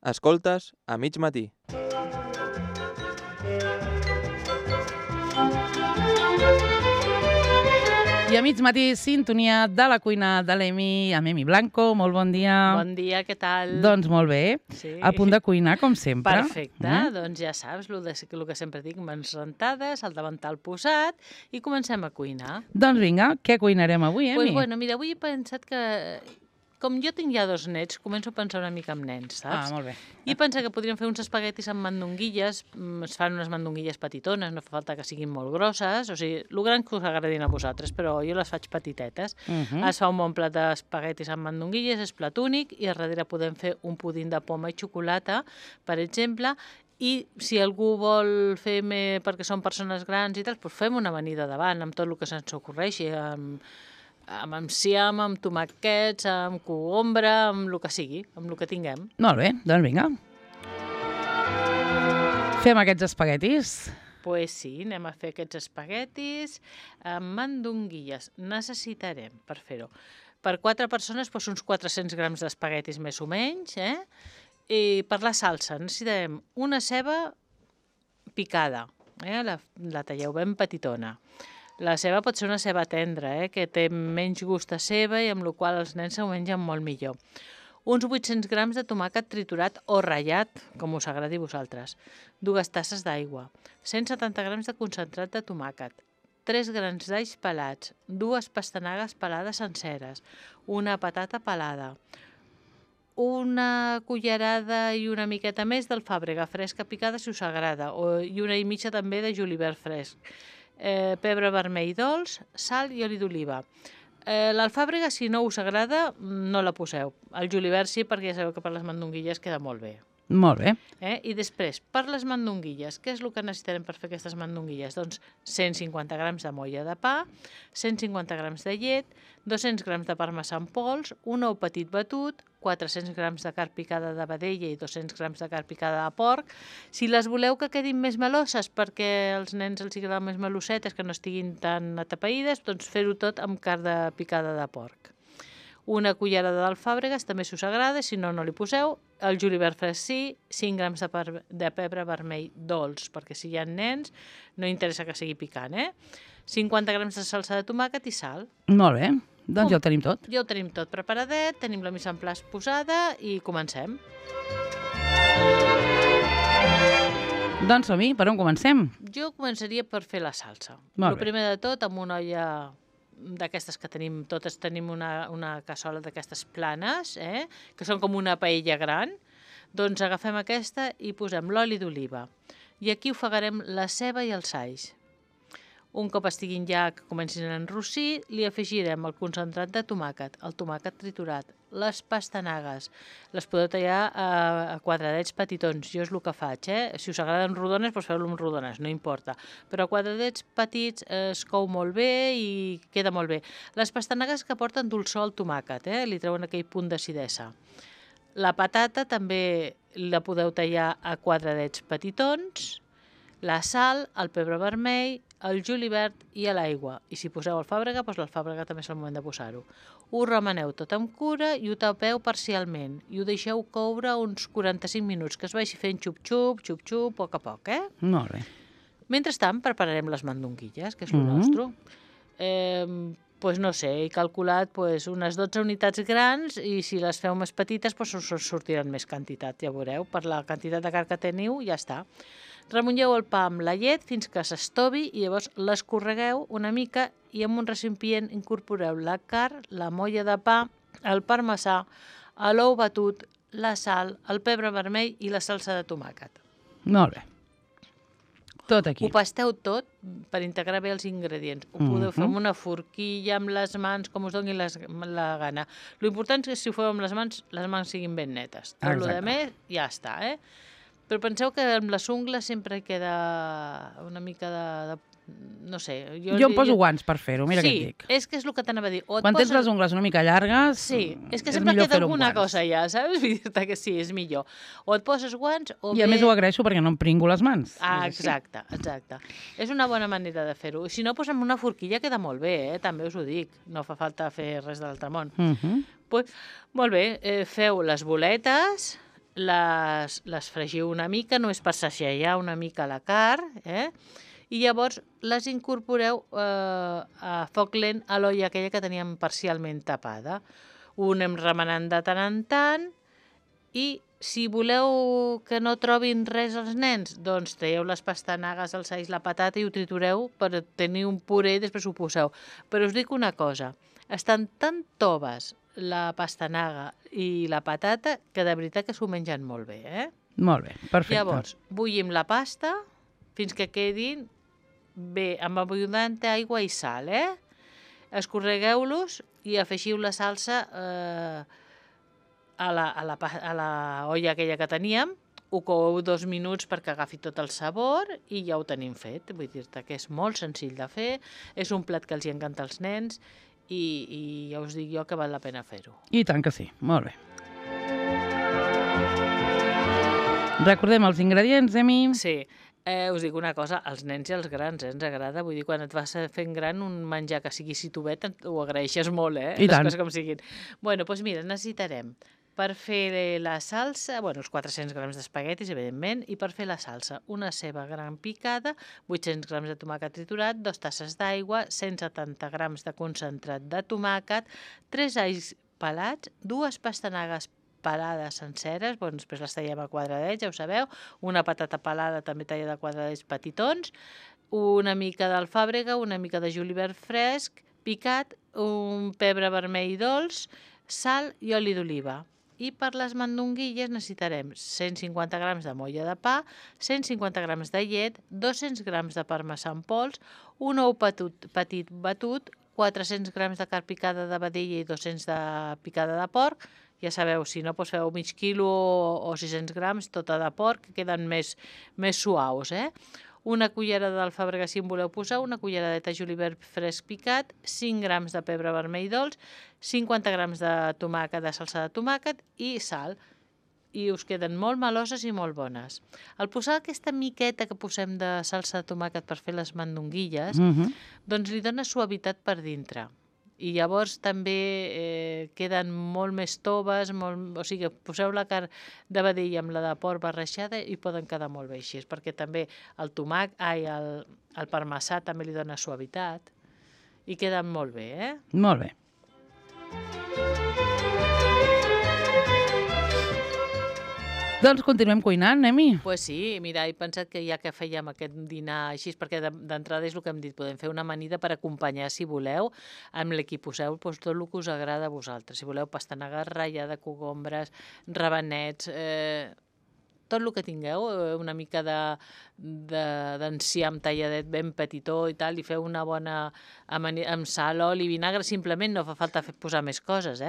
Escoltes a mig matí. I a mig matí, sintonia de la cuina de l'Emi, amb Emi Blanco. Molt bon dia. Bon dia, què tal? Doncs molt bé. Sí. A punt de cuinar, com sempre. Perfecte, doncs ja saps, el que sempre dic, mans rentades, el davantal posat, i comencem a cuinar. Doncs vinga, què cuinarem avui, Emi? Pues bueno, mira, avui he pensat que, com jo tinc ja 2 nets, començo a pensar una mica en nens, saps? Molt bé. I he pensat que podríem fer uns espaguetis amb mandonguilles, es fan unes mandonguilles petitones, no fa falta que siguin molt grosses, o sigui, el gran que us agradin a vosaltres, però jo les faig petitetes. Es fa un bon plat d'espaguetis amb mandonguilles, és plat únic, i a darrere podem fer un pudín de poma i xocolata, per exemple, i si algú vol fer perquè són persones grans i tal, doncs fem una amanida davant, amb tot el que se'ns ocorreixi, amb enciam, amb tomàquets, amb cogombre, amb el que sigui, amb el que tinguem. Molt bé, doncs vinga. Fem aquests espaguetis. Pues sí, anem a fer aquests espaguetis amb mandonguilles. Necessitarem, per fer-ho, per 4 persones, doncs uns 400 grams d'espaguetis més o menys, I per la salsa necessitarem una ceba picada, la talleu ben petitona. La ceba pot ser una ceba tendra, que té menys gust a ceba i amb la qual els nens s'ho mengen molt millor. Uns 800 grams de tomàquet triturat o ratllat, com us agradi a vosaltres. 2 tasses d'aigua. 170 grams de concentrat de tomàquet. 3 grans d'alls pelats. 2 pastanagues pelades senceres. Una patata pelada. Una cullerada i una miqueta més d'alfàbrega fresca picada, si us agrada, i una i mitja també de julivert fresc. Pebre vermell dolç, sal i oli d'oliva. L'alfàbrega, si no us agrada, no la poseu. El julivert sí, perquè ja sabeu que per les mandonguilles queda molt bé. Molt bé. I després, per les mandonguilles, què és el que necessitarem per fer aquestes mandonguilles? Doncs 150 grams de molla de pa, 150 grams de llet, 200 grams de parmesà en pols, un ou petit batut, 400 grams de carn picada de vedella i 200 grams de carn picada de porc. Si les voleu que quedin més meloses perquè als nens els agraden més melosetes, que no estiguin tan atapeïdes, doncs fer-ho tot amb carn picada de porc. Una cullerada d'alfàbregues, també si us agrada, si no, no li poseu. El julivert fresc sí, 5 grams de pebre vermell dolç, perquè si hi ha nens no interessa que sigui picant, 50 grams de salsa de tomàquet i sal. Molt bé, doncs ja ho tenim tot. Ja ho tenim tot preparadet, tenim la mise en place posada i comencem. Doncs som-hi, per on comencem? Jo començaria per fer la salsa. Molt bé. El primer de tot, amb una olla d'aquestes que tenim, totes tenim una cassola d'aquestes planes, que són com una paella gran, doncs agafem aquesta i posem l'oli d'oliva. I aquí ofegarem la ceba i els alls. Un cop estiguin ja que comencin a enrossir, li afegirem el concentrat de tomàquet, el tomàquet triturat, les pastanagues. Les podeu tallar a quadradets petitons, jo és el que faig. Si us agraden rodones, doncs feu-lo amb rodones, no importa. Però a quadradets petits es cou molt bé i queda molt bé. Les pastanagues que porten dolçor al tomàquet, li treuen aquell punt d'acidesa. La patata també la podeu tallar a quadradets petitons, la sal, el pebre vermell, el julivert i l'aigua. I si poseu alfàbrega, doncs l'alfàbrega també és el moment de posar-ho. Ho remeneu tot amb cura i ho tapeu parcialment. I ho deixeu coure uns 45 minuts, que es vagi fent xup-xup, xup-xup, a poc a poc, Molt bé. Mentrestant, prepararem les mandonguilles, que és el nostre. Pues no sé, he calculat unes 12 unitats grans i si les feu més petites us sortiran més quantitat, ja veureu. Per la quantitat de carn que teniu, ja està. Remulleu el pa amb la llet fins que s'estovi i llavors l'escorregueu una mica i en un recipient incorporeu la carn, la molla de pa, el parmesà, l'ou batut, la sal, el pebre vermell i la salsa de tomàquet. Molt bé. Tot aquí. Ho pasteu tot per integrar bé els ingredients. Ho podeu fer amb una forquilla, amb les mans, com us doni la gana. L'important és que si ho feu amb les mans siguin ben netes. Tot el que més ja està, Però penseu que amb les ungles sempre queda una mica de no sé. Jo em poso guants per fer-ho, mira què et dic. Sí, és que és el que t'anava a dir. Quan tens les ungles una mica llargues, sí, és que sempre queda alguna cosa allà, saps? Vull dir-te que sí, és millor. O et poses guants o I a més ho agraeixo perquè no em pringo les mans. Exacte. És una bona manera de fer-ho. Si no, amb una forquilla queda molt bé, també us ho dic. No fa falta fer res de l'altre món. Molt bé, feu les boletes, les fregiu una mica, només per sacsejar una mica la carn, i llavors les incorporeu a foc lent a l'olla aquella que teníem parcialment tapada. Ho anem remenant de tant en tant i si voleu que no trobin res els nens, doncs traieu les pastanagues, els alls, la patata i ho tritureu per tenir un puré i després ho poseu. Però us dic una cosa, estan tan toves la pastanaga i la patata que de veritat que s'ho mengen molt bé, Molt bé, perfecte. Llavors, bullim la pasta fins que quedin bé, amb abundant aigua i sal, Escorregueu-los i afegiu la salsa a la olla aquella que teníem, ho coueu 2 minuts perquè agafi tot el sabor i ja ho tenim fet. Vull dir-te que és molt senzill de fer, és un plat que els hi encanta als nens i ja us dic jo que val la pena fer-ho. I tant que sí, molt bé. Recordem els ingredients, Emi? Sí, us dic una cosa, als nens i als grans, ens agrada, vull dir, quan et vas fent gran un menjar que sigui situbet ho agraeixes molt, I tant. Les coses com siguin. Bueno, doncs mira, necessitarem per fer la salsa, uns 400 grams d'espaguetis, evidentment, i per fer la salsa, una ceba gran picada, 800 grams de tomàquet triturat, 2 tasses d'aigua, 170 grams de concentrat de tomàquet, 3 alls pelats, 2 pastanagues pelades senceres, després les tallem a quadradets, ja ho sabeu, una patata pelada també tallada a quadradets petitons, una mica d'alfàbrega, una mica de julivert fresc, picat, un pebre vermell dolç, sal i oli d'oliva. I per les mandonguilles necessitarem 150 grams de molla de pa, 150 grams de llet, 200 grams de parmesà en pols, un ou petit batut, 400 grams de carn picada de vedella i 200 de picada de porc. Ja sabeu, si no, feu mig quilo o 600 grams, tota de porc, que queden més suaus, Una cullerada d'alfàbrega, si en voleu posar, una culleradeta de julivert fresc picat, 5 grams de pebre vermell dolç, 50 grams de tomàquet, de salsa de tomàquet i sal. I us queden molt meloses i molt bones. Al posar aquesta miqueta que posem de salsa de tomàquet per fer les mandonguilles, doncs li dona suavitat per dintre. I llavors també queden molt més toves, o sigui, poseu la carn de vedella amb la de porc barrejada i poden quedar molt bé així, perquè també el parmesà també li dona suavitat i queden molt bé, Molt bé. Doncs continuem cuinant, Emi. Pues sí, mira, he pensat que ja que fèiem aquest dinar així, perquè d'entrada és el que hem dit, podem fer una amanida per acompanyar, si voleu, amb el que poseu tot el que us agrada a vosaltres. Si voleu pastanaga ratllada, cogombres, rabanets, tot el que tingueu, una mica d'enciam talladet ben petitó i tal, i feu una bona amanida amb sal, oli, vinagre, simplement no fa falta posar més coses,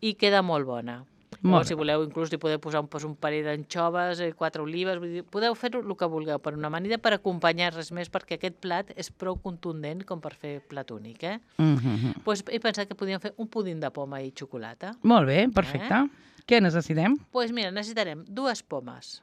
i queda molt bona. Molt Si voleu, inclús hi podeu posar un parell d'anxoves, 4 olives, podeu fer el que vulgueu per una amanida per acompanyar res més, perquè aquest plat és prou contundent com per fer plat únic. Doncs he pensat que podíem fer un pudín de poma i xocolata. Molt bé, perfecte. Què necessitem? Doncs mira, necessitarem 2 pomes,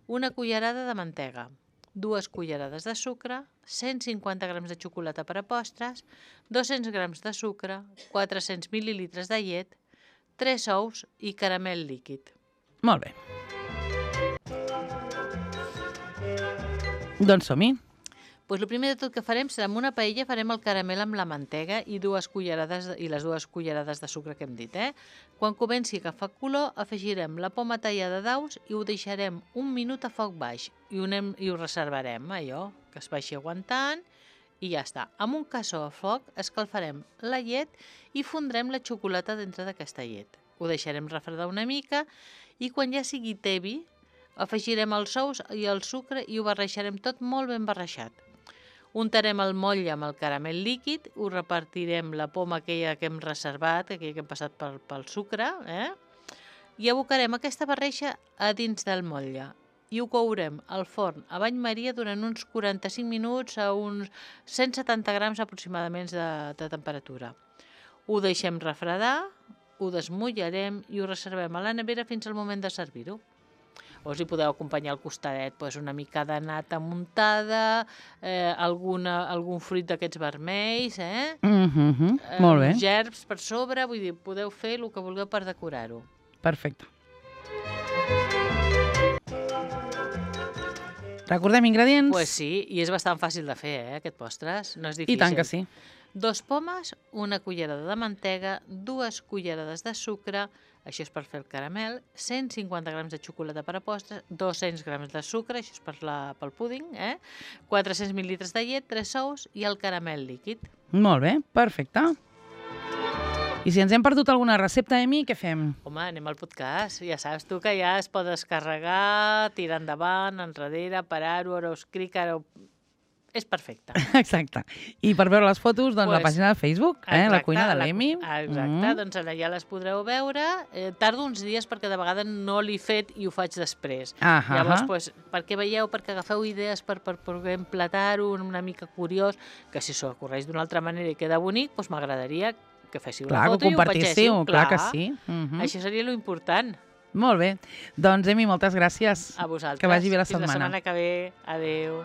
una cullerada de mantega, 2 cullerades de sucre, 150 grams de xocolata per a postres, 200 grams de sucre, 400 mil·lilitres de llet, 3 ous i caramel líquid. Molt bé. Doncs som-hi. Doncs el primer de tot que farem serà, amb una paella farem el caramel amb la mantega i les 2 cullerades de sucre que hem dit. Quan comenci a agafar color, afegirem la poma tallada d'aus i ho deixarem 1 minut a foc baix i ho reservarem, allò, que es vagi aguantant i ja està. Amb un cassó a foc escalfarem la llet i fondrem la xocolata dintre d'aquesta llet. Ho deixarem refredar una mica i quan ja sigui tebi afegirem els ous i el sucre i ho barrejarem tot molt ben barrejat. Untarem el motlle amb el caramel líquid, ho repartirem la poma aquella que hem reservat, aquella que hem passat pel sucre, i abocarem aquesta barreja a dins del motlle i ho courem al forn a bany maria durant uns 45 minuts a uns 170 grams aproximadament de temperatura. Ho deixem refredar, ho desmullarem i ho reservem a la nevera fins al moment de servir-ho. O si podeu acompanyar al costadet una mica de nata muntada, algun fruit d'aquests vermells, Molt bé. gerbs per sobre, vull dir, podeu fer el que vulgueu per decorar-ho. Perfecte. Recordem ingredients? Pues sí, i és bastant fàcil de fer, aquest postres. No és difícil. I tant que sí. 2 pomes, 1 cullerada de mantega, 2 cullerades de sucre, això és per fer el caramel, 150 grams de xocolata per a postres, 200 grams de sucre, això és pel púding, 400 mil·litres de llet, 3 ous i el caramel líquid. Molt bé, perfecte. I si ens hem perdut alguna recepta, Emi, què fem? Home, anem al podcast. Ja saps tu que ja es pot descarregar, tirar endavant, enrere, parar-ho, ara us clic, ara... És perfecte. Exacte. I per veure les fotos, doncs la Pues, pàgina de Facebook, la cuina de l'Emi. Exacte, doncs allà ja les podreu veure. Tardo uns dies perquè de vegades no l'he fet i ho faig després. Llavors, pues, perquè veieu, perquè agafeu idees per poder emplatar-ho una mica curiós, que si s'ho corregeix d'una altra manera i queda bonic, doncs m'agradaria que féssiu la foto i ho compartíssiu, clar que sí. Això seria lo important. Molt bé. Doncs, Emi, moltes gràcies. A vosaltres. Que vagi bé la setmana. Fins la setmana que ve. Adéu.